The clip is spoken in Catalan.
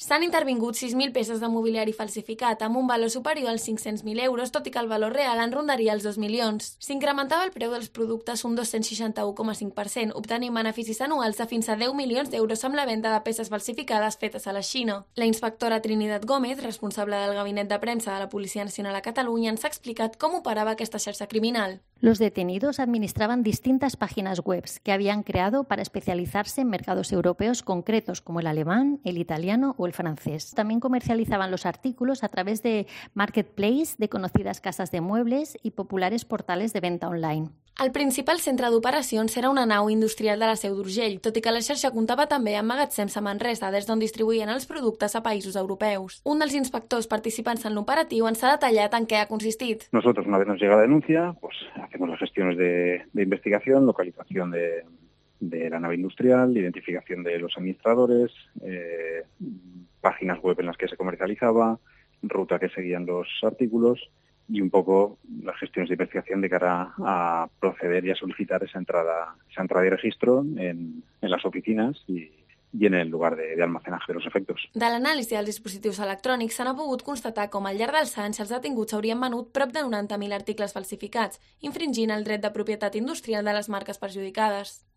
S'han intervingut 6.000 peces de mobiliari falsificat amb un valor superior als 500.000 euros, tot i que el valor real en rondaria els 2 milions. S'incrementava el preu dels productes un 261,5%, obtenint beneficis anuals de fins a 10 milions d'euros amb la venda de peces falsificades fetes a la Xina. La inspectora Trinidad Gómez, responsable del gabinet de premsa de la Policia Nacional a Catalunya, ens ha explicat cómo operaba esta xarxa criminal. Los detenidos administraban distintas páginas web que habían creado para especializarse en mercados europeos concretos como el alemán, el italiano o el francés. También comercializaban los artículos a través de marketplace de conocidas casas de muebles y populares portales de venta online. El principal centre d'operacions era una nau industrial de la Seu d'Urgell, tot i que la xarxa comptava també amb magatzems a Manresa, des d'on distribuïen els productes a països europeus. Un dels inspectors participants en l'operatiu ens ha detallat en què ha consistit. Nosotros, una vez nos llega la denuncia, pues hacemos las gestiones de investigación, localización de la nave industrial, identificación de los administradores, páginas web en las que se comercializaba, ruta que seguían los artículos y un poco las gestiones de investigación de cara a proceder y a solicitar esa entrada y registro en las oficinas y en el lugar de almacenaje de los efectos. De l'anàlisi dels dispositius electrònics s'ha pogut constatar com al llarg dels anys els detinguts haurien venut prop de 90.000 articles falsificats, infringint el dret de propietat industrial de les marques perjudicades.